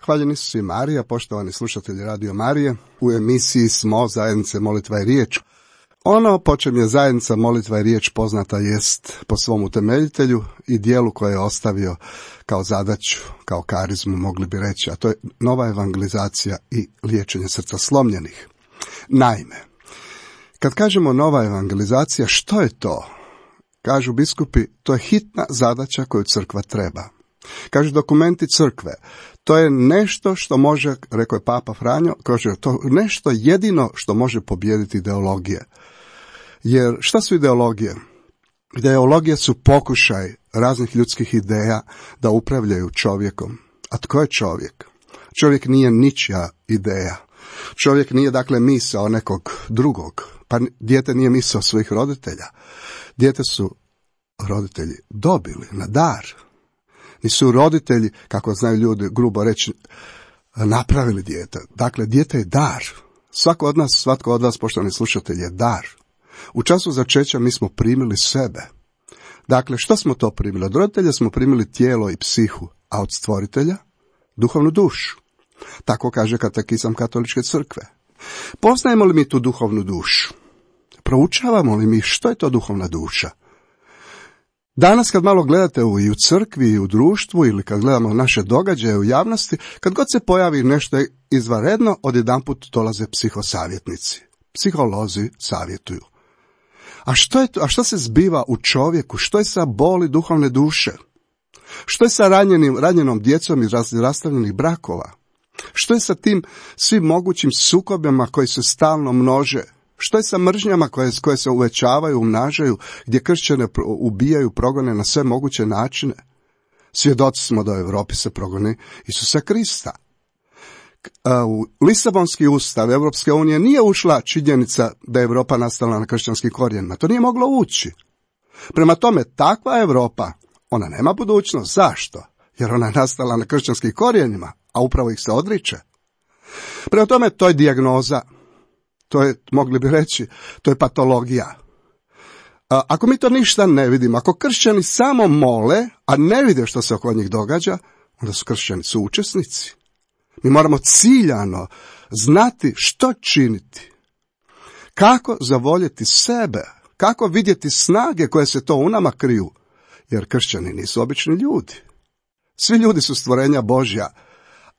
Hvaljeni su i Marija, poštovani slušatelji Radio Marije. U emisiji smo Zajednice Molitva i Riječ. Ono po čem je Zajednica Molitva i Riječ poznata jest po svom utemeljitelju i dijelu koje je ostavio kao zadaću, kao karizmu mogli bi reći, a to je nova evangelizacija i liječenje srca slomljenih. Naime, kad kažemo nova evangelizacija, što je to? Kažu biskupi, to je hitna zadaća koju crkva treba. Kažu dokumenti crkve, to je nešto što može, rekao je Papa Franjo, kaže to nešto jedino što može pobijediti ideologije. Jer šta su ideologije? Ideologije su pokušaj raznih ljudskih ideja da upravljaju čovjekom. A tko je čovjek? Čovjek nije ničija ideja. Čovjek nije dakle misao nekog drugog. Pa dijete nije misao svojih roditelja. Dijete su roditelji dobili na dar. Nisu roditelji, kako znaju ljudi grubo reći, napravili dijete. Dakle, dijete je dar. Svatko od vas, poštovani slušatelji, je dar. U času začeća mi smo primili sebe. Dakle, što smo to primili? Od roditelja smo primili tijelo i psihu, a od stvoritelja duhovnu dušu. Tako kaže katekizam Katoličke crkve. Poznajemo li mi tu duhovnu dušu? Proučavamo li mi što je to duhovna duša? Danas kad malo gledate i u crkvi i u društvu ili kad gledamo naše događaje u javnosti, kad god se pojavi nešto izvanredno, odjedanput dolaze psihosavjetnici. Psiholozi savjetuju. A što se zbiva u čovjeku? Što je sa boli duhovne duše? Što je sa ranjenom djecom iz rastavljenih brakova? Što je sa tim svim mogućim sukobima koji se stalno množe? Što je sa mržnjama koje se uvećavaju, umnažaju, gdje kršćane ubijaju, progone na sve moguće načine? Svjedoci smo da u Europi se progoni Isusa Krista. U Lisabonski ustav Europske unije nije ušla činjenica da je Europa nastala na kršćanskim korijenima. To nije moglo ući. Prema tome, takva Europa, ona nema budućnost. Zašto? Jer ona je nastala na kršćanskim korijenima, a upravo ih se odriče. Prema tome, to je dijagnoza. To je, mogli bi reći, to je patologija. Ako mi to ništa ne vidimo, ako kršćani samo mole, a ne vide što se oko njih događa, onda su kršćani suučesnici. Mi moramo ciljano znati što činiti. Kako zavoljeti sebe, kako vidjeti snage koje se to u nama kriju, jer kršćani nisu obični ljudi. Svi ljudi su stvorenja Božja,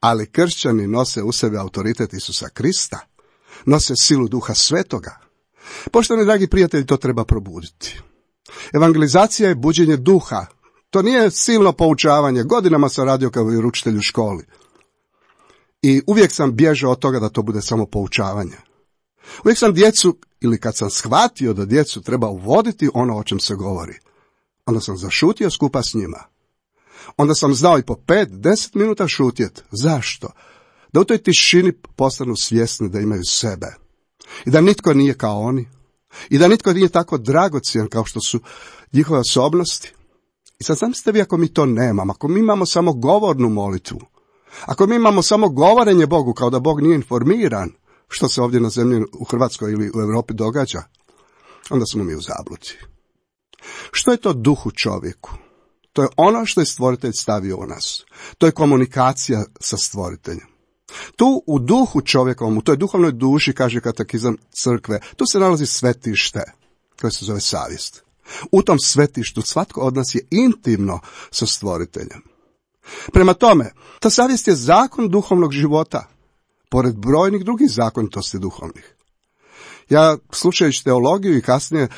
ali kršćani nose u sebi autoritet Isusa Krista. Nose silu Duha Svetoga. Poštovani dragi prijatelji, to treba probuditi. Evangelizacija je buđenje duha. To nije silno poučavanje. Godinama sam radio kao vjeroučitelj u školi. I uvijek sam bježao od toga da to bude samo poučavanje. Uvijek sam djecu, ili kad sam shvatio da djecu treba uvoditi ono o čem se govori, onda sam zašutio skupa s njima. Onda sam znao i po 5-10 minuta šutjet. Zašto? Da u toj tišini postanu svjesni da imaju sebe. I da nitko nije kao oni. I da nitko nije tako dragocjen kao što su njihove osobnosti. I sad zamislite vi ako mi to nemamo, ako mi imamo samo govornu molitvu, ako mi imamo samo govorenje Bogu kao da Bog nije informiran što se ovdje na zemlji u Hrvatskoj ili u Europi događa, onda smo mi u zabludi. Što je to duh u čovjeku? To je ono što je stvoritelj stavio u nas. To je komunikacija sa stvoriteljem. Tu u duhu čovjekovom, u toj duhovnoj duši, kaže katekizam crkve, tu se nalazi svetište, koje se zove savjest. U tom svetištu svatko od nas je intimno sa stvoriteljem. Prema tome, ta savjest je zakon duhovnog života, pored brojnih drugih zakonitosti duhovnih. Ja, slušajući teologiju i kasnije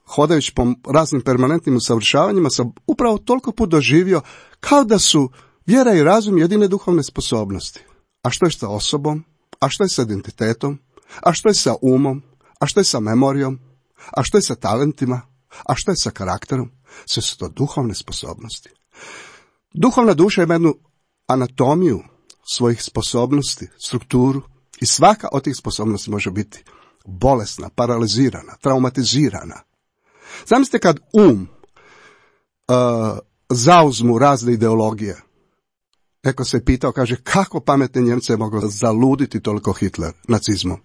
hodajući po raznim permanentnim usavršavanjima, sam upravo toliko put doživio kao da su vjera i razum jedine duhovne sposobnosti. A što je sa osobom? A što je sa identitetom? A što je sa umom? A što je sa memorijom? A što je sa talentima? A što je sa karakterom? Sve su to duhovne sposobnosti. Duhovna duša ima jednu anatomiju svojih sposobnosti, strukturu i svaka od tih sposobnosti može biti bolesna, paralizirana, traumatizirana. Zamislite kad zauzmu razne ideologije. Neko se pitao, kaže, kako pametne Njemce je moglo zaluditi toliko Hitler nacizmom.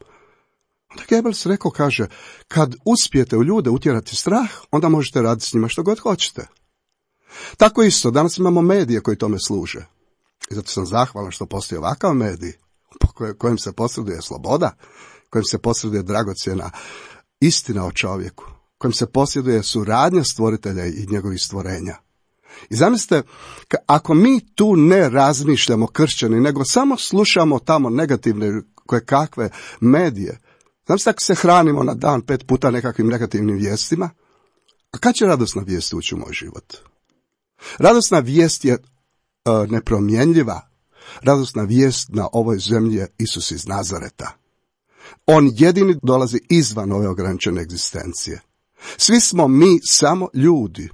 Onda Goebbels rekao, kaže, kad uspijete u ljude utjerati strah, onda možete raditi s njima što god hoćete. Tako isto, danas imamo medije koji tome služe. I zato sam zahvalan što postoji ovakav medij kojim se posreduje sloboda, kojim se posreduje dragocjena istina o čovjeku, kojim se posjeduje suradnja stvoritelja i njegovih stvorenja. I zamislite, ako mi tu ne razmišljamo kršćani, nego samo slušamo tamo negativne koje kakve medije, zamislite ako se hranimo na dan 5 puta nekakvim negativnim vijestima, a kad će radosna vijest ući u moj život? Radosna vijest je nepromjenljiva. Radosna vijest na ovoj zemlji je Isus iz Nazareta. On jedini dolazi izvan ove ograničene egzistencije. Svi smo mi samo ljudi.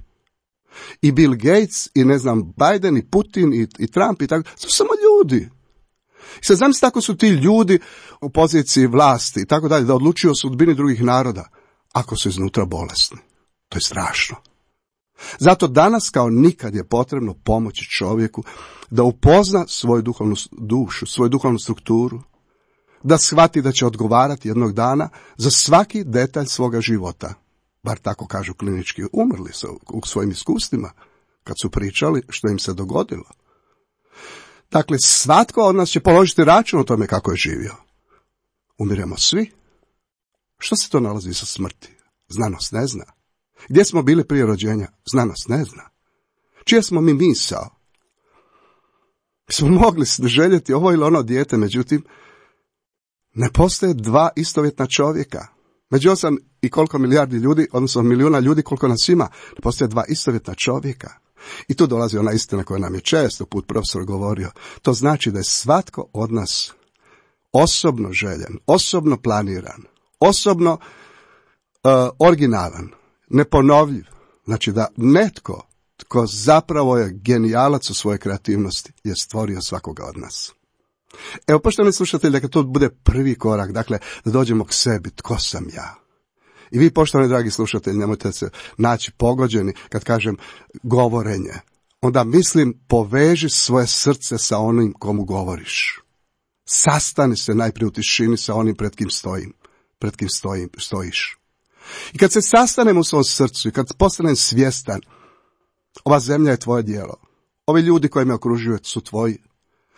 I Bill Gates, i ne znam, Biden, i Putin, i Trump, i tako, su samo ljudi. I sad zamislite ako su ti ljudi u poziciji vlasti i tako dalje, da odlučuju o sudbini drugih naroda, ako su iznutra bolesni. To je strašno. Zato danas kao nikad je potrebno pomoći čovjeku da upozna svoju duhovnu dušu, svoju duhovnu strukturu, da shvati da će odgovarati jednog dana za svaki detalj svoga života. Bar tako kažu klinički umrli u svojim iskustvima, kad su pričali što im se dogodilo. Dakle, svatko od nas će položiti račun o tome kako je živio. Umiremo svi. Što se to nalazi sa smrti? Znanost ne zna. Gdje smo bili prije rođenja? Znanost ne zna. Čije smo mi misao? Smo mogli željeti ovo ili ono dijete, međutim, ne postoje dva istovjetna čovjeka. Među 8 i koliko milijardi ljudi, odnosno milijuna ljudi koliko nas ima, ne postoje dva istovjetna čovjeka. I tu dolazi ona istina koja nam je često put profesor govorio. To znači da je svatko od nas osobno željen, osobno planiran, osobno originalan, neponovljiv. Znači da netko tko zapravo je genijalac u svojoj kreativnosti je stvorio svakoga od nas. Evo, poštovani slušatelji, dakle, to bude prvi korak, dakle, da dođemo k sebi, tko sam ja. I vi, poštovani dragi slušatelji, nemojte se naći pogođeni kad kažem govorenje. Onda mislim, poveži svoje srce sa onim komu govoriš. Sastani se najprije u tišini sa onim pred kim stojiš. I kad se sastanem u svom srcu i kad postanem svjestan, ova zemlja je tvoje djelo. Ovi ljudi koji me okružuju su tvoji.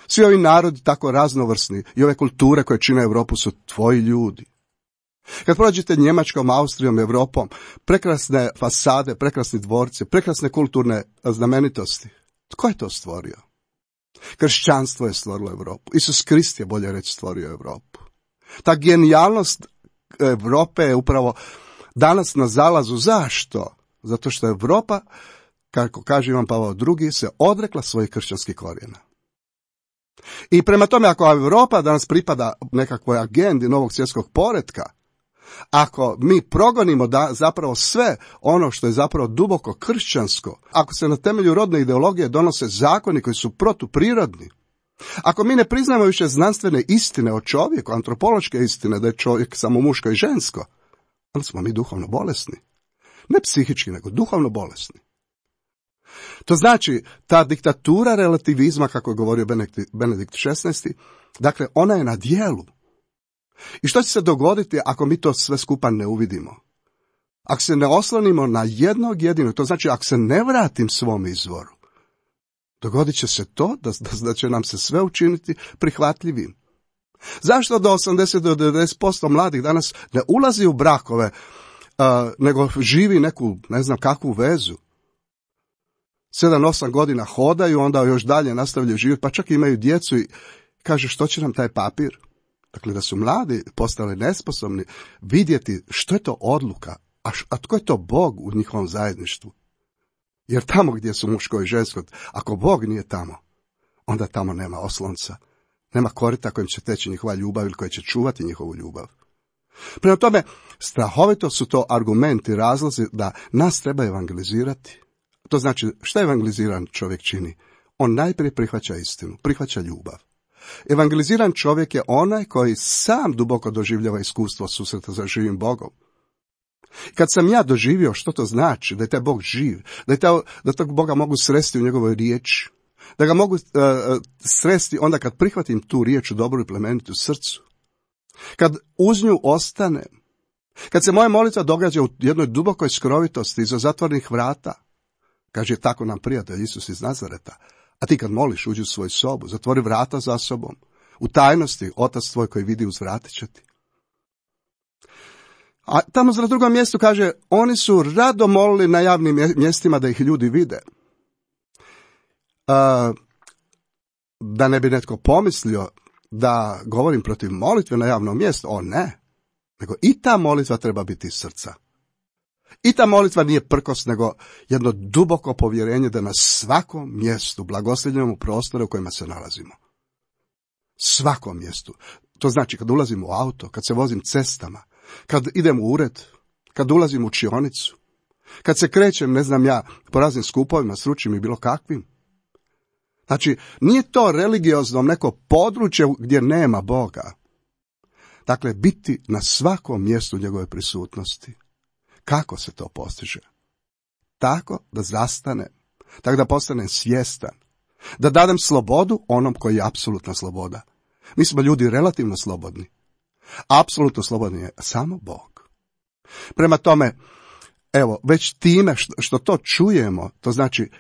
Svi ovi narodi tako raznovrsni i ove kulture koje čine Europu su tvoji ljudi. Kad prođete Njemačkom, Austrijom, Europom, prekrasne fasade, prekrasni dvorci, prekrasne kulturne znamenitosti. Tko je to stvorio? Kršćanstvo je stvorilo Europu. Isus Krist je, bolje reći, stvorio Europu. Ta genijalnost Europe je upravo danas na zalazu. Zašto? Zato što Europa, kako kaže Ivan Pavao II, se odrekla svojih kršćanskih korijena. I prema tome, ako Europa danas pripada nekakvoj agendi novog svjetskog poretka, ako mi progonimo zapravo sve ono što je zapravo duboko kršćansko, ako se na temelju rodne ideologije donose zakoni koji su protuprirodni, ako mi ne priznamo više znanstvene istine o čovjeku, antropološke istine da je čovjek samo muško i žensko, onda smo mi duhovno bolesni. Ne psihički, nego duhovno bolesni. To znači, ta diktatura relativizma, kako je govorio Benedikt XVI, dakle, ona je na djelu. I što će se dogoditi ako mi to sve skupa ne uvidimo? Ako se ne oslonimo na jednog jedinog, to znači ako se ne vratim svom izvoru, dogodit će se to da će nam se sve učiniti prihvatljivim. Zašto do 80 do 90% mladih danas ne ulazi u brakove, nego živi neku, ne znam kakvu vezu? 7-8 godina hodaju, onda još dalje nastavljaju živjeti, pa čak imaju djecu i kaže što će nam taj papir? Dakle, da su mladi postali nesposobni vidjeti što je to odluka, a tko je to Bog u njihovom zajedništvu. Jer tamo gdje su muško i žensko, ako Bog nije tamo, onda tamo nema oslonca, nema korita kojim će teći njihova ljubav ili koji će čuvati njihovu ljubav. Prema tome, strahovito su to argumenti, razlozi da nas treba evangelizirati. To znači, šta evangeliziran čovjek čini? On najprije prihvaća istinu, prihvaća ljubav. Evangeliziran čovjek je onaj koji sam duboko doživljava iskustvo susreta sa živim Bogom. Kad sam ja doživio što to znači, da je taj Bog živ, da tog Boga mogu sresti u njegovoj riječi, da ga mogu sresti onda kad prihvatim tu riječ u dobru i plemenitu u srcu, kad uz nju ostanem, kad se moja molitva događa u jednoj dubokoj skrovitosti iza zatvornih vrata, kaže tako nam prijatelj Isus iz Nazareta, A ti kad moliš, uđi u svoju sobu, zatvori vrata za sobom. U tajnosti, otac tvoj koji vidi uzvratit će ti. A tamo na drugom mjestu kaže, oni su rado molili na javnim mjestima da ih ljudi vide. Da ne bi netko pomislio da govorim protiv molitve na javnom mjestu, ne. Nego i ta molitva treba biti iz srca. I ta molitva nije prkos, nego jedno duboko povjerenje da na svakom mjestu blagoslovljamo u prostore u kojima se nalazimo. Svakom mjestu. To znači kad ulazim u auto, kad se vozim cestama, kad idem u ured, kad ulazim u učionicu, kad se krećem, ne znam ja, po raznim skupovima, stručnim i bilo kakvim. Znači, nije to religiozno neko područje gdje nema Boga. Dakle, biti na svakom mjestu njegove prisutnosti. Kako se to postiže? Tako da zastanem, tako da postanem svjestan, da dadem slobodu onom koji je apsolutna sloboda. Mi smo ljudi relativno slobodni. Apsolutno slobodni je samo Bog. Prema tome, evo, već time što to čujemo, to znači,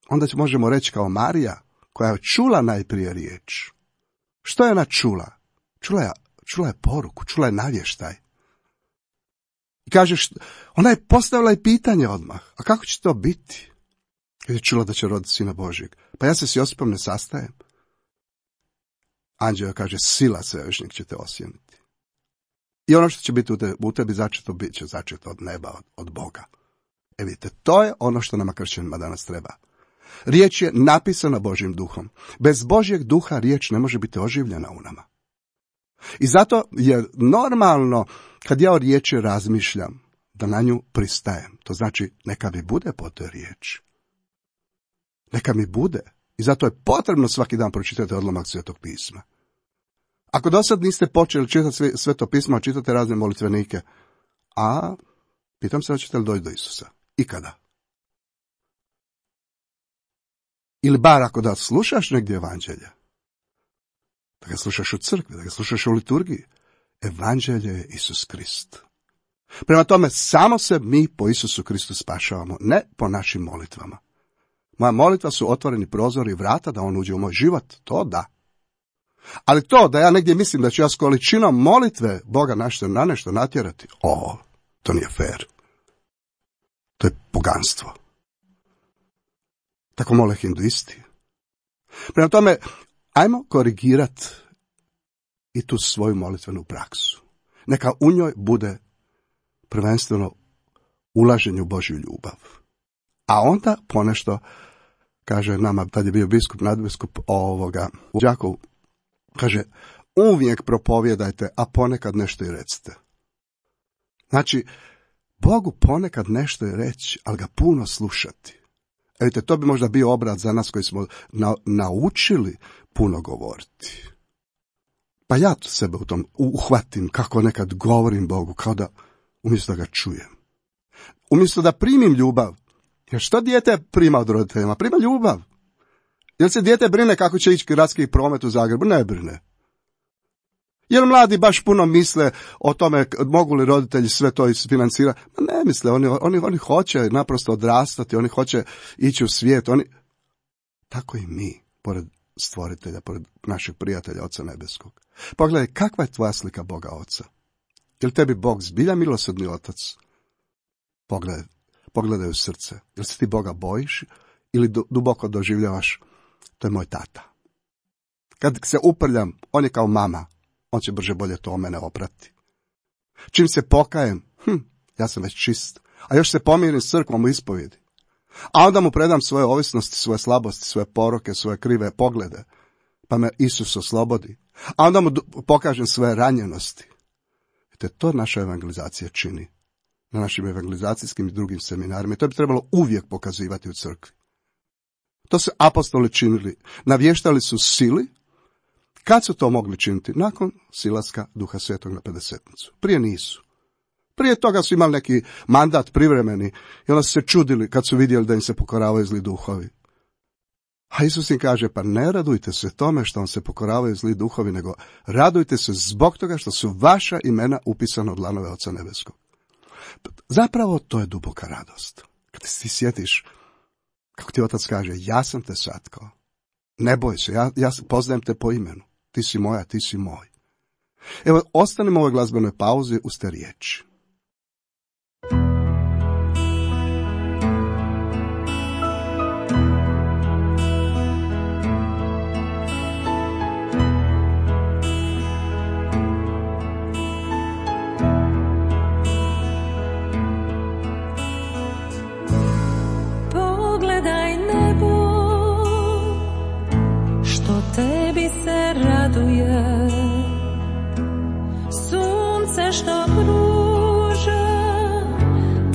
onda možemo reći kao Marija, koja je čula najprije riječ. Što je ona čula? Čula je poruku, čula je navještaj. I kaže, ona je postavila i pitanje odmah, a kako će to biti? Kad je čula da će roditi Sina Božjeg. Pa ja se s Josipom ne sastajem. Anđeo kaže, sila svevišnjeg će te osjeniti. I ono što će biti u tebi začeto, bit će začeto od neba, od Boga. Vidite, to je ono što nama kršćanima danas treba. Riječ je napisana Božjim duhom. Bez Božjeg duha riječ ne može biti oživljena u nama. I zato je normalno, kad ja o riječi razmišljam, da na nju pristajem. To znači, neka mi bude po toj riječi. Neka mi bude. I zato je potrebno svaki dan pročitati odlomak Svetog pisma. Ako do sad niste počeli čitati Sveto pismo, čitate razne molitvenike, pitam se da ćete li doći do Isusa. I kada? Ili bar ako da slušaš negdje evanđelje, da ga slušaš u crkvi, da ga slušaš u liturgiji, evanđelje je Isus Krist. Prema tome, samo se mi po Isusu Kristu spašavamo, ne po našim molitvama. Moja molitva su otvoreni prozori i vrata da on uđe u moj život, to da. Ali to da ja negdje mislim da ću ja s količinom molitve Boga na nešto natjerati, to nije fair. To je poganstvo. Tako mole hinduisti. Prema tome, ajmo korigirati i tu svoju molitvenu praksu. Neka u njoj bude prvenstveno ulaženje u Božju ljubav. A onda ponešto, kaže nama, tad je bio biskup, nadbiskup u Đakovu, kaže, uvijek propovjedajte, a ponekad nešto i recite. Znači, Bogu ponekad nešto i reći, ali ga puno slušati. Vidite, to bi možda bio obrat za nas koji smo naučili puno govoriti. Pa ja sebe u tom uhvatim kako nekad govorim Bogu, kao da umjesto da ga čujem. Umjesto da primim ljubav. Jer što dijete prima od roditeljima? Prima ljubav. Jel se dijete brine kako će ići gradski promet u Zagrebu? Ne brine. Jer mladi baš puno misle o tome mogu li roditelji sve to isfinancirati? Ne misle, oni hoće naprosto odrastati, oni hoće ići u svijet. Tako i mi, pored stvoritelja, pored našeg prijatelja Oca Nebeskog. Pogledaj, kakva je tvoja slika Boga Oca? Je li tebi Bog zbilja milosrdni Otac? Pogledaj u srce. Jel se ti Boga bojiš ili duboko doživljavaš? To je moj tata. Kad se uprljam, on je kao mama. On će brže bolje to o mene oprati. Čim se pokajem, ja sam već čist. A još se pomirim s crkvom u ispovjedi. A onda mu predam svoje ovisnosti, svoje slabosti, svoje poroke, svoje krive poglede. Pa me Isus oslobodi. A onda mu pokažem svoje ranjenosti. Vidite, to naša evangelizacija čini. Na našim evangelizacijskim i drugim seminarima. I to bi trebalo uvijek pokazivati u crkvi. To su apostoli činili. Navještali su sili. Kad su to mogli činiti? Nakon silaska Duha Svetog na Pedesetnicu. Prije nisu. Prije toga su imali neki mandat privremeni i onda su se čudili kad su vidjeli da im se pokoravaju zli duhovi. A Isus im kaže, pa ne radujte se tome što vam se pokoravaju zli duhovi, nego radujte se zbog toga što su vaša imena upisana od dlanove Oca Nebeskog. Zapravo to je duboka radost. Kad ti sjetiš Kako ti otac kaže, ja sam te satkao. Ne boj se, ja poznajem te po imenu. Ti si moja, ti si moj. Evo, ostanemo u ovoj glazbenoj pauzi uz te riječi. Pogledaj nebo, što tebi se raduje, sunce što pruža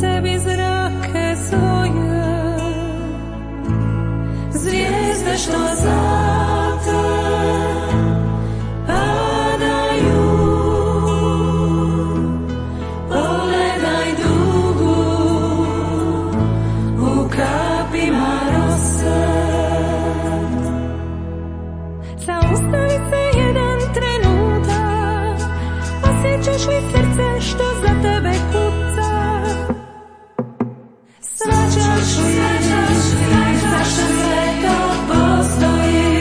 tebi zrake svoje, zvijezde što za te padaju, pogledaj dugu u kapima rose. Zaustavi se jedan trenutak, osjećaš li srce što za tebe kuca? Shvaćaš li zašto sve to postoji?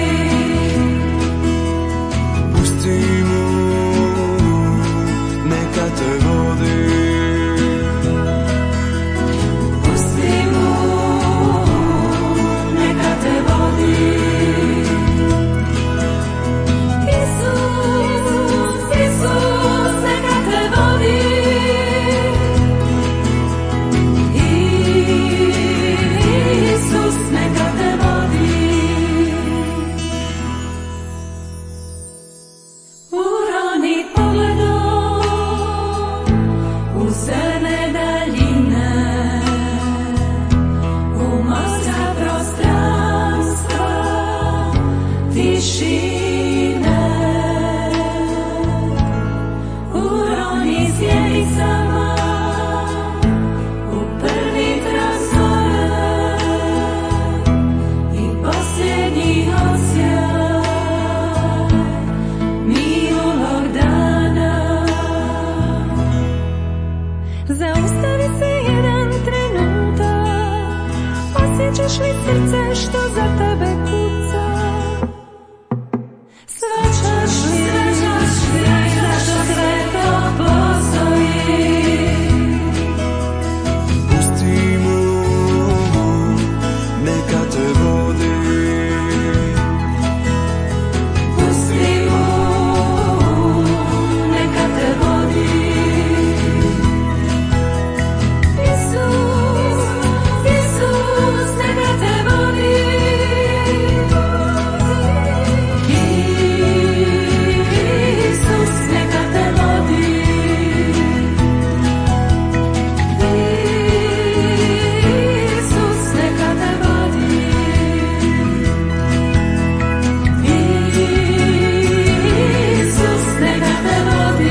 Pusti mu, neka te vodi. Pusti mu, neka te vodi. Isus, Isus, neka te vodi. Isus, neka te vodi. Uroni pogledom u crne daljine, u morska prostranstva tišine. Uroni zjenicama u prvi trasore i posljednji osjaj minulog dana. Zaustavi se jedan trenutak, osjećaš li srce što za tebe kuca? Shvaćaš li zašto sve to postoji? Pusti mu, neka te vodi. Pusti mu, neka te vodi. Isus, Isus, neka te vodi. Isus, neka te vodi. Isus, neka te vodi. Isus, neka te vodi.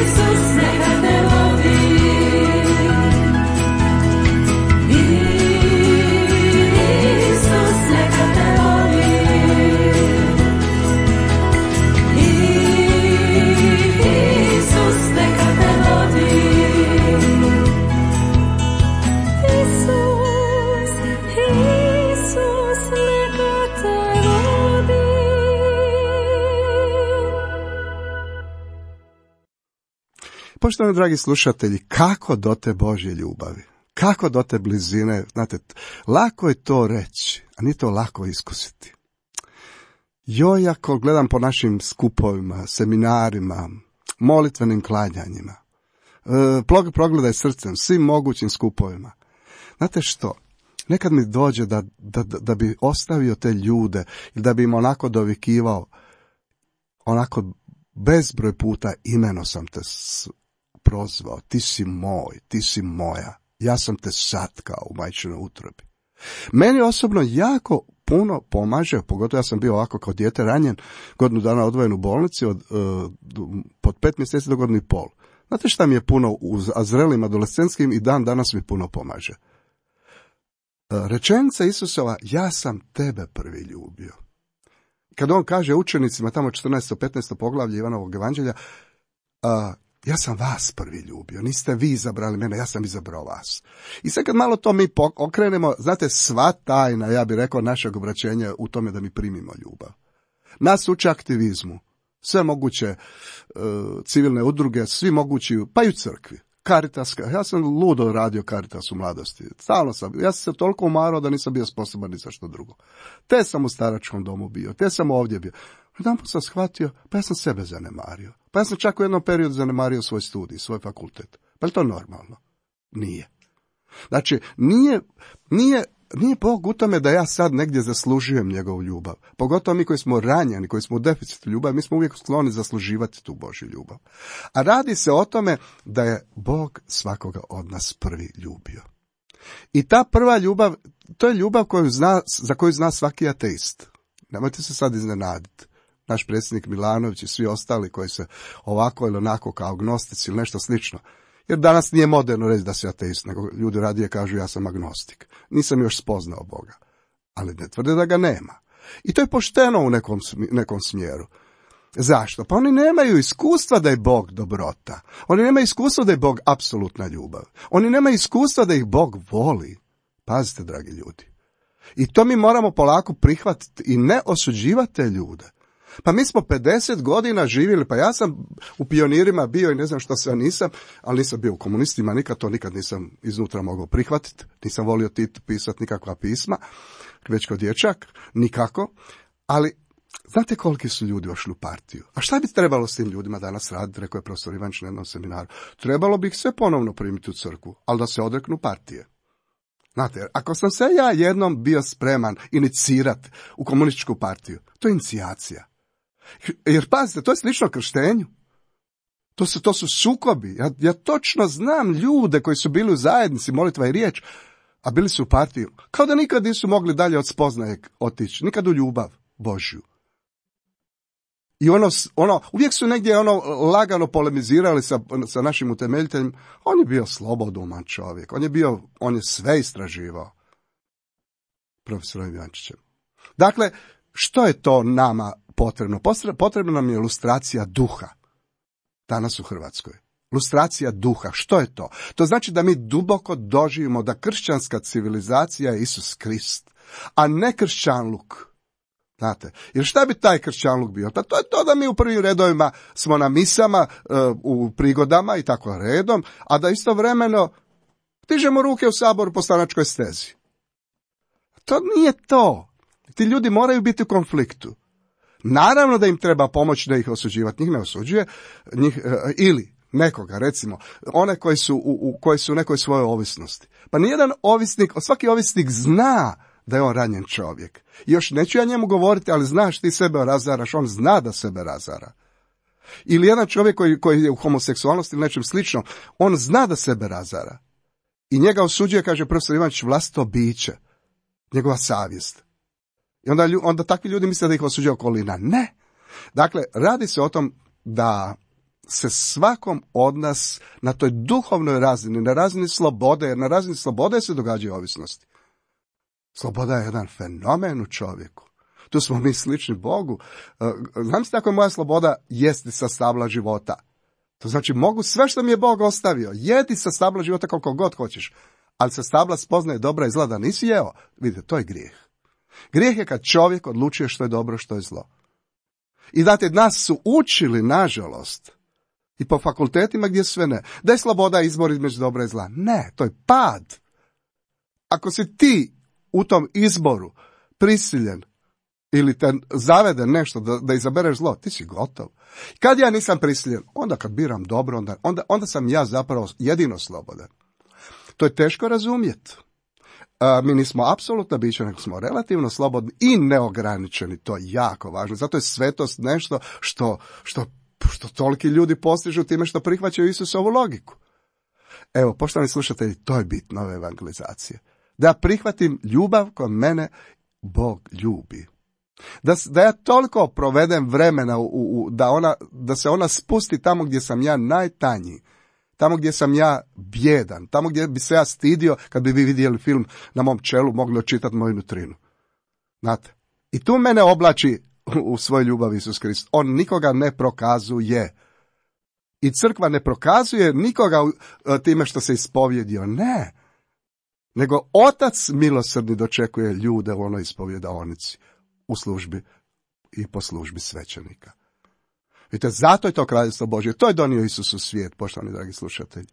Isus, neka te vodi. Isus, neka te vodi. Isus, neka te vodi. Isus, Isus, neka te vodi. Poštovani dragi slušatelji, kako do te Božje ljubavi? Kako do te blizine? Znate, lako je to reći, a nije to lako iskusiti. Joj, ako gledam po našim skupovima, seminarima, molitvenim klanjanjima, progledaj srcem, svim mogućim skupovima. Znate što? Nekad mi dođe da bi ostavio te ljude ili da bi im onako dovikivao, onako bezbroj puta imeno sam te prozvao, ti si moj, ti si moja, ja sam te satkao u majčinoj utrobi. Meni osobno jako puno pomaže, pogotovo ja sam bio ovako kao dijete ranjen, godinu dana odvojen u bolnici, od 5 mjeseci do godinu i pol. Znate šta mi je puno u zrelim adolescentskim i dan danas mi puno pomaže? Rečenica Isusova, ja sam tebe prvi ljubio. Kad on kaže učenicima, tamo 14. 15. poglavlje Ivanovog evanđelja, Ja sam vas prvi ljubio, niste vi izabrali mene, ja sam izabrao vas. I sad kad malo to mi okrenemo, znate, sva tajna, ja bih rekao, našeg obraćenja u tome da mi primimo ljubav. Nas uče aktivizmu, sve moguće civilne udruge, svi mogući, pa i u crkvi. Caritas, ja sam ludo radio Caritas u mladosti. Stalno ja sam se toliko umarao da nisam bio sposoban ni za što drugo. Te sam u staračkom domu bio, te sam ovdje bio. Jedanput sam shvatio, pa ja sam sebe zanemario. Pa ja sam čak u jednom periodu zanemario svoj studij, svoj fakultet. Pa je to normalno? Nije. Znači, nije Bog u tome da ja sad negdje zaslužujem njegovu ljubav. Pogotovo mi koji smo ranjeni, koji smo u deficitu ljubavi, mi smo uvijek skloni zasluživati tu Božju ljubav. A radi se o tome da je Bog svakoga od nas prvi ljubio. I ta prva ljubav, to je ljubav za koju zna svaki ateist. Nemojte se sad iznenaditi. Naš predsjednik Milanović i svi ostali koji se ovako ili onako kao agnostici ili nešto slično. Jer danas nije moderno reći da si ateist, nego ljudi radije kažu ja sam agnostik. Nisam još spoznao Boga. Ali ne tvrde da ga nema. I to je pošteno u nekom smjeru. Zašto? Pa oni nemaju iskustva da je Bog dobrota. Oni nemaju iskustva da je Bog apsolutna ljubav. Oni nemaju iskustva da ih Bog voli. Pazite, dragi ljudi. I to mi moramo polako prihvatiti i ne osuđivati te ljude. Pa mi smo 50 godina živjeli, pa ja sam u pionirima bio i ne znam što sve nisam, ali nisam bio u komunistima, nikad nisam iznutra mogao prihvatiti, nisam volio pisati nikakva pisma, već kao dječak, nikako, ali znate koliki su ljudi ošli u partiju? A šta bi trebalo s tim ljudima danas raditi, rekao je profesor Ivančić na jednom seminaru? Trebalo bi ih sve ponovno primiti u crkvu, ali da se odreknu partije. Znate, ako sam se ja jednom bio spreman inicirati u komunističku partiju, to je inicijacija. Jer pazite, to je slično krštenju. To su sukobi. Ja točno znam ljude koji su bili u zajednici molitva i riječ, a bili su u partiji, kao da nikad nisu mogli dalje od spoznaje otići, nikad u ljubav Božju. I uvijek su negdje lagano polemizirali sa našim utemeljiteljem. On je bio sloboduman čovjek, on je sve istraživao. Profesorom Ivančićem. Dakle, što je to nama potrebno? Potrebna nam je ilustracija duha. Danas u Hrvatskoj. Lustracija duha. Što je to? To znači da mi duboko doživimo da kršćanska civilizacija je Isus Krist, a ne kršćanluk. Znate, jer šta bi taj kršćanluk bio? Pa to je to da mi u prvim redovima smo na misama, u prigodama i tako redom, a da istovremeno dižemo ruke u saboru po stranačkoj stezi. To nije to. Ti ljudi moraju biti u konfliktu. Naravno da im treba pomoći da ih osuđivati. Njih ne osuđuje, ili nekoga, recimo, one koji su u nekoj svojoj ovisnosti. Pa nijedan ovisnik, svaki ovisnik zna da je on ranjen čovjek. I još neću ja njemu govoriti, ali znaš ti sebe razaraš, on zna da sebe razara. Ili jedan čovjek koji je u homoseksualnosti ili nečem sličnom, on zna da sebe razara. I njega osuđuje, kaže profesor Ivančić, vlastito biće, njegova savjest. I onda takvi ljudi misle da ih osuđuje okolina. Ne. Dakle, radi se o tom da se svakom od nas na toj duhovnoj razini, na razini slobode, jer na razini slobode se događaju ovisnosti. Sloboda je jedan fenomen u čovjeku. Tu smo mi slični Bogu. Znam se tako je moja sloboda jesti sa stabla života. To znači mogu sve što mi je Bog ostavio. Jedi sa stabla života koliko god hoćeš. Ali sa stabla spoznaje dobra i zla da nisi jeo. Vidite, to je grijeh. Grijeh je kad čovjek odlučuje što je dobro, što je zlo. I znate, nas su učili, nažalost, i po fakultetima gdje sve ne, da je sloboda izbor između dobra i zla. Ne, to je pad. Ako si ti u tom izboru prisiljen ili te zavede nešto da izabereš zlo, ti si gotov. Kad ja nisam prisiljen, onda kad biram dobro, onda sam ja zapravo jedino slobodan. To je teško razumjeti. Mi nismo apsolutna bića, nego smo relativno slobodni i neograničeni. To je jako važno. Zato je svetost nešto što toliki ljudi postižu time što prihvaćaju Isusovu logiku. Evo, poštovani slušatelji, to je bit nove evangelizacije. Da prihvatim ljubav koju mene Bog ljubi. Da ja toliko provedem vremena da se ona spusti tamo gdje sam ja najtanji. Tamo gdje sam ja bjedan, tamo gdje bi se ja stidio kad bi vi vidjeli film na mom čelu, mogli očitati moju nutrinu. Znate? I tu mene oblači u svoj ljubav Isus Krist. On nikoga ne prokazuje. I crkva ne prokazuje nikoga time što se ispovjedio, ne. Nego Otac milosrdni dočekuje ljude u onoj ispovjedaonici, u službi i po službi svećenika. Vidite, zato je to kraljevstvo Božje. To je donio Isus u svijet, poštovani dragi slušatelji.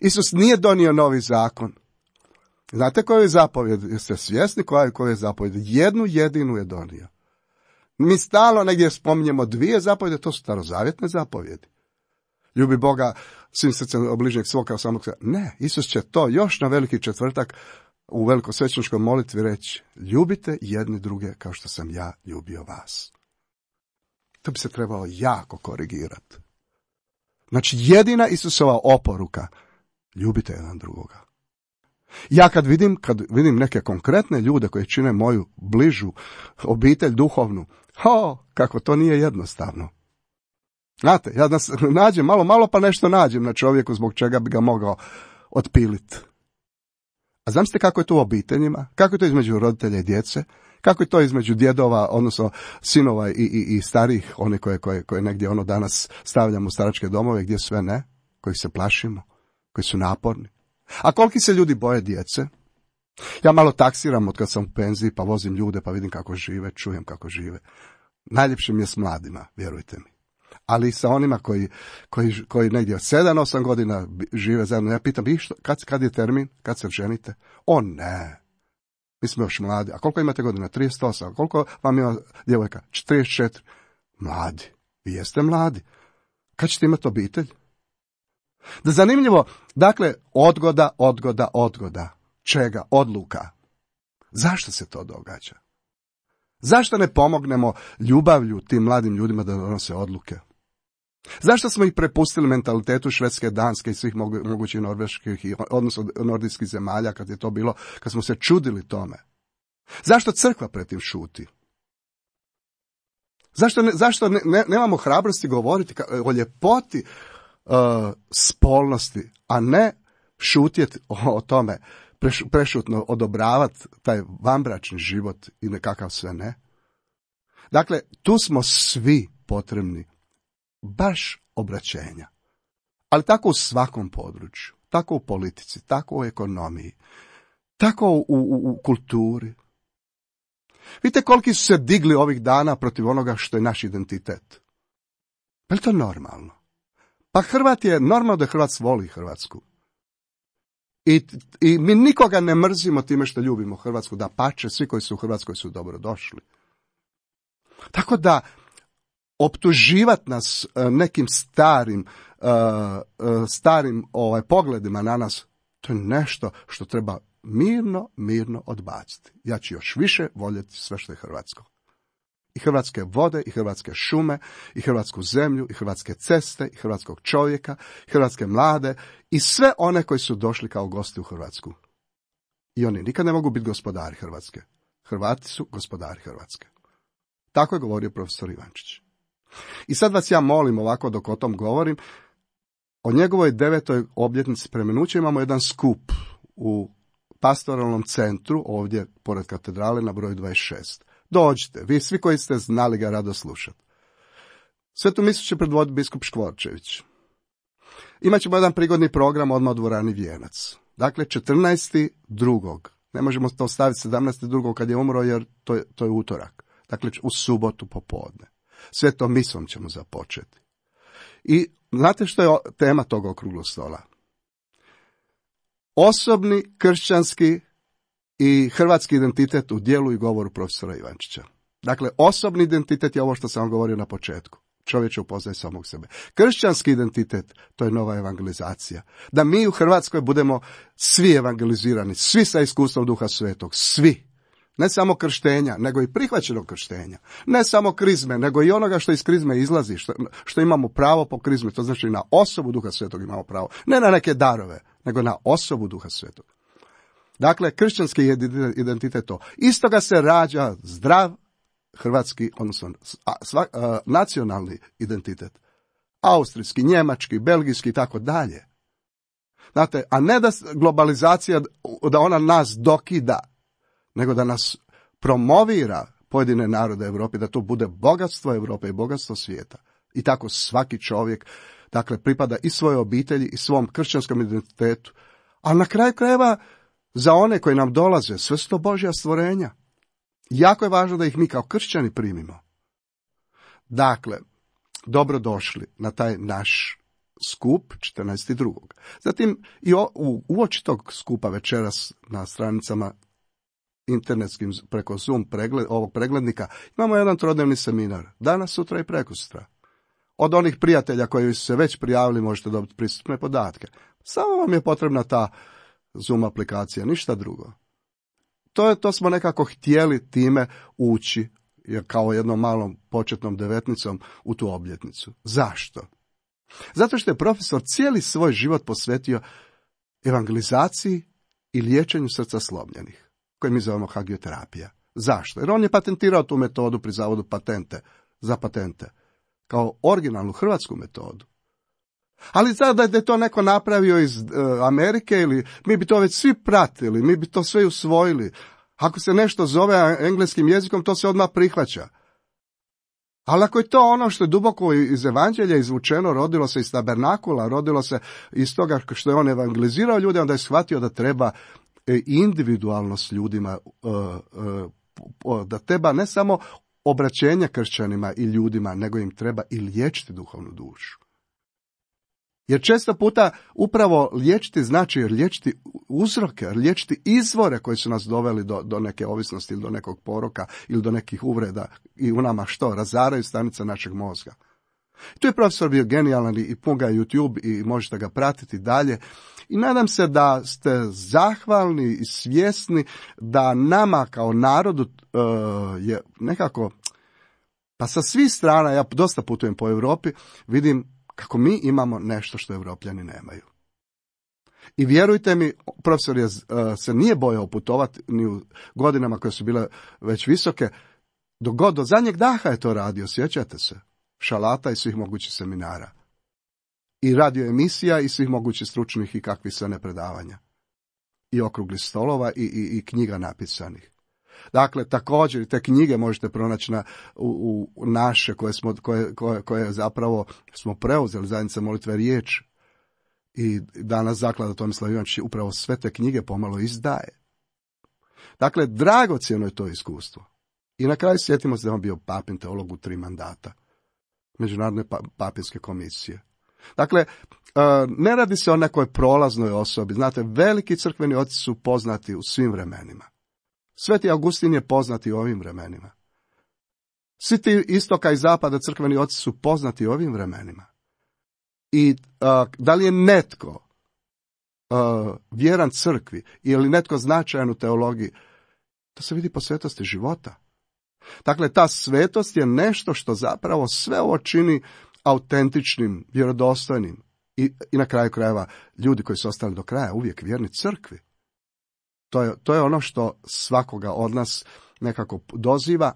Isus nije donio novi zakon. Znate koju je zapovjed? Jeste svjesni koju je zapovjed? Jednu jedinu je donio. Mi stalno negdje spominjemo dvije zapovjede, to su starozavjetne zapovjedi. Ljubi Boga svim srcem bližnjeg svog kao samog sebe. Ne, Isus će to još na veliki četvrtak u velikosvećničkoj molitvi reći: ljubite jedni druge kao što sam ja ljubio vas. To bi se trebalo jako korigirati. Znači, jedina Isusova oporuka: ljubite jedan drugoga. Ja kad vidim neke konkretne ljude koji čine moju bližu obitelj duhovnu, kako to nije jednostavno. Znate, ja da nađem malo pa nešto nađem na čovjeku zbog čega bi ga mogao otpiliti. A zamislite kako je to u obiteljima, kako je to između roditelja i djece, kako je to između djedova, odnosno sinova i starih, one koje negdje danas stavljamo u staračke domove, gdje sve ne, kojih se plašimo, koji su naporni. A koliki se ljudi boje djece? Ja malo taksiram od kad sam u penziji, pa vozim ljude, pa vidim kako žive, čujem kako žive. Najljepše mi je s mladima, vjerujte mi. Ali i sa onima koji negdje od 7-8 godina žive zajedno. Ja pitam, kad je termin, kad se ženite? O ne, mi smo još mladi. A koliko imate godina? 38. A koliko vam ima djevojka? 44. Mladi. Vi jeste mladi. Kad ćete imati obitelj? Da zanimljivo, dakle, odgoda. Čega? Odluka. Zašto se to događa? Zašto ne pomognemo ljubavlju tim mladim ljudima da donose odluke? Zašto smo ih prepustili mentalitetu Švedske, Danske i svih mogućih norveških, odnosno nordijskih zemalja kad je to bilo, kad smo se čudili tome? Zašto crkva pred tim šuti? Zašto nemamo hrabrosti govoriti o ljepoti spolnosti, a ne šutjeti o tome, prešutno odobravati taj vanbračni život i nekakav sve ne? Dakle, tu smo svi potrebni baš obraćenja. Ali tako u svakom području, tako u politici, tako u ekonomiji, tako u kulturi. Vidite koliki su se digli ovih dana protiv onoga što je naš identitet. Pa je to normalno? Pa Hrvat je normalno da Hrvat voli Hrvatsku. I mi nikoga ne mrzimo time što ljubimo Hrvatsku, da pače, svi koji su u Hrvatskoj su dobro došli. Tako da optuživati nas nekim starim pogledima na nas, to je nešto što treba mirno odbaciti. Ja ću još više voljeti sve što je hrvatsko. I hrvatske vode, i hrvatske šume, i hrvatsku zemlju, i hrvatske ceste, i hrvatskog čovjeka, i hrvatske mlade, i sve one koji su došli kao gosti u Hrvatsku. I oni nikad ne mogu biti gospodari Hrvatske. Hrvati su gospodari Hrvatske. Tako je govorio profesor Ivančić. I sad vas ja molim ovako dok o tom govorim, o njegovoj 9. obljetnici preminuća imamo jedan skup u pastoralnom centru, ovdje pored katedrale na broju 26. Dođite, vi svi koji ste znali ga rado slušati. Svetu misu će predvoditi biskup Škvorčević. Imaćemo jedan prigodni program odmah u dvorani Vijenac. Dakle, 14.2. Ne možemo to staviti 17.2. kad je umro, jer to je utorak. Dakle, u subotu popodne. Svetom misom ćemo započeti. I znate što je tema tog okruglog stola? Osobni, kršćanski i hrvatski identitet u djelu i govoru profesora Ivančića. Dakle, osobni identitet je ovo što sam vam govorio na početku. Čovjek upoznaje samog sebe. Kršćanski identitet, to je nova evangelizacija. Da mi u Hrvatskoj budemo svi evangelizirani, svi sa iskustvom Duha Svetog, svi. Ne samo krštenja, nego i prihvaćenog krštenja. Ne samo krizme, nego i onoga što iz krizme izlazi, što imamo pravo po krizmi. To znači na osobu Duha Svetog imamo pravo. Ne na neke darove, nego na osobu Duha Svetog. Dakle, kršćanski identitet to. Istoga se rađa zdrav hrvatski, odnosno nacionalni identitet. Austrijski, njemački, belgijski i tako dalje. Znate, a ne da globalizacija, da ona nas dokida, nego da nas promovira pojedine narode Europe, da to bude bogatstvo Europe i bogatstvo svijeta. I tako svaki čovjek Dakle, pripada i svojoj obitelji i svom kršćanskom identitetu. Ali na kraju krajeva, za one koji nam dolaze, sve su to Božja stvorenja. Jako je važno da ih mi kao kršćani primimo. Dakle, dobrodošli na taj naš skup 14.2. Zatim i uoči tog skupa večeras na stranicama internetskim preko Zoom ovog preglednika imamo jedan trodnevni seminar. Danas, sutra i prekosutra. Od onih prijatelja koji su se već prijavili možete dobiti pristupne podatke. Samo vam je potrebna ta Zoom aplikacija, ništa drugo. To smo nekako htjeli time ući kao jednom malom početnom devetnicom u tu obljetnicu. Zašto? Zato što je profesor cijeli svoj život posvetio evangelizaciji i liječenju srca slomljenih, koje mi zovemo hagioterapija. Zašto? Jer on je patentirao tu metodu pri zavodu za patente, kao originalnu hrvatsku metodu. Ali sada da je to neko napravio iz Amerike, ili mi bi to već svi pratili, mi bi to sve usvojili. Ako se nešto zove engleskim jezikom, to se odmah prihvaća. Ali ako je to ono što je duboko iz evanđelja izvučeno, rodilo se iz tabernakula, rodilo se iz toga što je on evangelizirao ljude, onda je shvatio da treba individualno s ljudima, da treba ne samo obraćenja kršćanima i ljudima, nego im treba i liječiti duhovnu dušu. Jer često puta upravo liječiti znači liječiti uzroke, liječiti izvore koji su nas doveli do neke ovisnosti ili do nekog poroka ili do nekih uvreda i u nama razaraju stanice našeg mozga. Tu je profesor bio genijalan i pun ga YouTube i možete ga pratiti dalje. I nadam se da ste zahvalni i svjesni da nama kao narodu je nekako, pa sa svih strana, ja dosta putujem po Europi, vidim kako mi imamo nešto što Europljani nemaju. I vjerujte mi, profesor se nije bojao putovati ni u godinama koje su bile već visoke, do zadnjeg daha je to radio, sjećate se, šalata i svih mogućih seminara. I radio emisija i svih mogućih stručnih i kakvih sve ne predavanja. I okruglih stolova i knjiga napisanih. Dakle, također te knjige možete pronaći u naše koje zapravo smo preuzeli, Zajednica molitve i riječ. I danas zaklada Tomislav Ivanić upravo sve te knjige pomalo izdaje. Dakle, dragocjeno je to iskustvo. I na kraju sjetimo se da je on bio papin teolog u 3 mandata Međunarodne papinske komisije. Dakle, ne radi se o nekoj prolaznoj osobi. Znate, veliki crkveni oci su poznati u svim vremenima. Sveti Augustin je poznati u ovim vremenima. Svi ti istoka i zapada crkveni oci su poznati u ovim vremenima. I da li je netko vjeran crkvi ili netko značajan u teologiji, to se vidi po svetosti života. Dakle, ta svetost je nešto što zapravo sve ovo čini autentičnim, vjerodostojnim i na kraju krajeva ljudi koji su ostali do kraja uvijek vjerni crkvi. To je ono što svakoga od nas nekako doziva,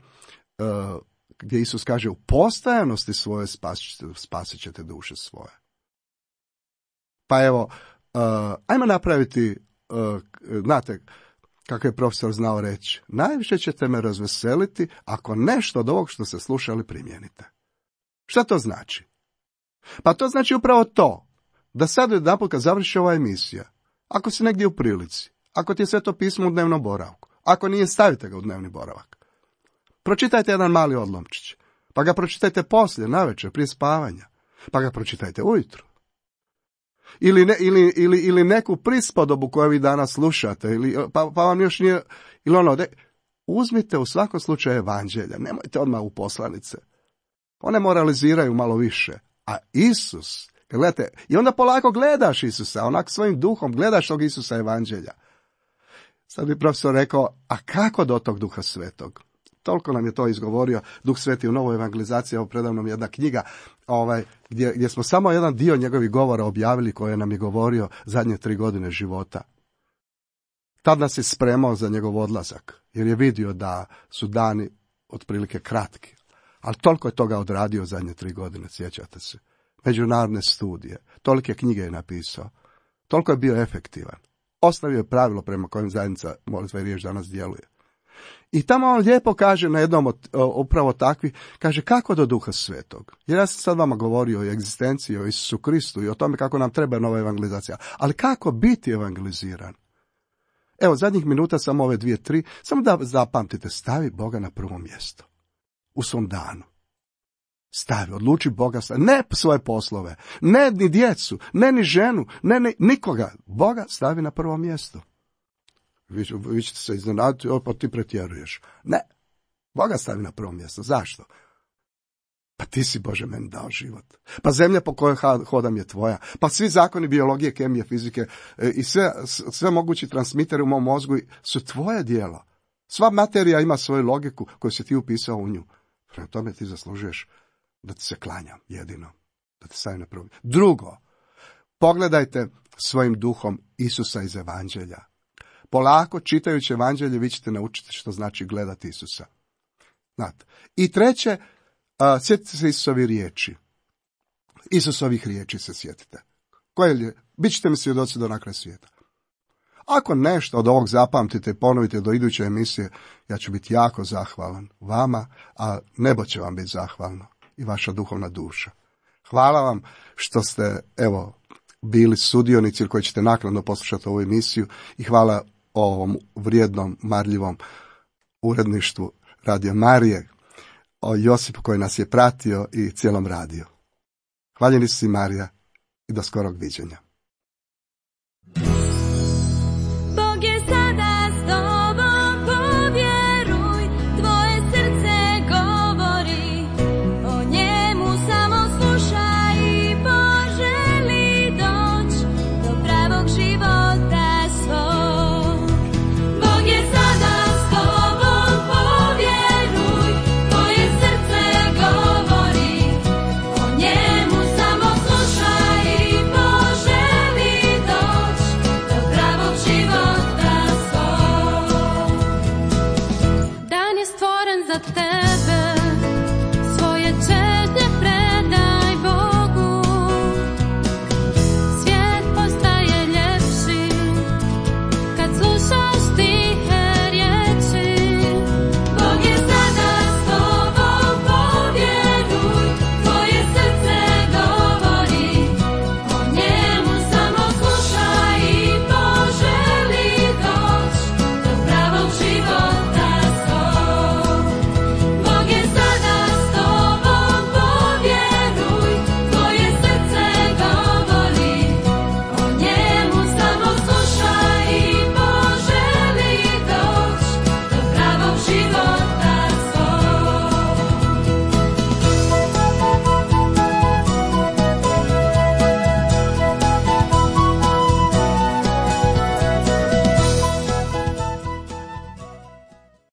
gdje Isus kaže u postajanosti svoje spasit ćete duše svoje. Pa evo, ajmo napraviti, znate kako je profesor znao reći, najviše ćete me razveseliti ako nešto od ovog što ste slušali primijenite. Šta to znači? Pa to znači upravo to, da sad jedanput kad završi ova emisija, ako si negdje u prilici, ako ti je Sveto pismo u dnevnom boravku, ako nije, stavite ga u dnevni boravak. Pročitajte jedan mali odlomčić, pa ga pročitajte poslije, navečer, prije spavanja, pa ga pročitajte ujutro. Ili neku prispodobu koju vi danas slušate, pa vam još nije, uzmite u svakom slučaju evanđelja, nemojte odmah u poslanice. One moraliziraju malo više, a Isus, gledajte, i onda polako gledaš Isusa, onak svojim duhom gledaš tog Isusa evanđelja. Sad bi profesor rekao, a kako do tog Duha Svetog? Toliko nam je to izgovorio Duh Sveti u Novoj evangelizaciji, evo predavnom jedna knjiga, gdje smo samo jedan dio njegovih govora objavili koje nam je govorio zadnje 3 godine života. Tad nas je spremao za njegov odlazak, jer je vidio da su dani otprilike kratki. Ali toliko je toga odradio zadnje 3 godine, sjećate se. Međunarodne studije, tolike knjige je napisao, toliko je bio efektivan. Ostavio je pravilo prema kojem Zajednica molitve i riječ danas djeluje. I tamo on lijepo kaže na jednom od upravo takvi, kaže kako do Duha Svetog. Jer ja sam sad vama govorio o egzistenciji, o Isusu Kristu i o tome kako nam treba nova evangelizacija. Ali kako biti evangeliziran? Evo, zadnjih minuta samo ove 2-3, samo da zapamtite, stavi Boga na prvo mjesto. U svom danu. Stavi, odluči Boga, ne svoje poslove, ne ni djecu, ne ni ženu, ne nikoga. Boga stavi na prvo mjesto. Vi ćete se iznenaditi, pa ti pretjeruješ. Ne, Boga stavi na prvo mjesto. Zašto? Pa ti si, Bože, meni dao život. Pa zemlja po kojoj hodam je tvoja. Pa svi zakoni biologije, kemije, fizike i sve mogući transmiteri u mom mozgu su tvoje djelo. Sva materija ima svoju logiku koju si ti upisao u nju. Prema tome ti zaslužuješ da ti se klanjam jedino. Da te stavim na prvo mjesto. Drugo, pogledajte svojim duhom Isusa iz Evanđelja. Polako, čitajući Evanđelje, vi ćete naučiti što znači gledati Isusa. Znate. I treće, sjetite se Isusovih riječi. Isusovih riječi se sjetite. Bićete mi svjedoci do na kraj svijeta. Ako nešto od ovog zapamtite i ponovite do iduće emisije, ja ću biti jako zahvalan vama, a nebo će vam biti zahvalno i vaša duhovna duša. Hvala vam što ste, bili sudionici koji ćete naknadno poslušati ovu emisiju i hvala ovom vrijednom, marljivom uredništvu Radio Marije, o Josipu koji nas je pratio i cijelom radiju. Hvaljeni si Marija i do skorog viđenja.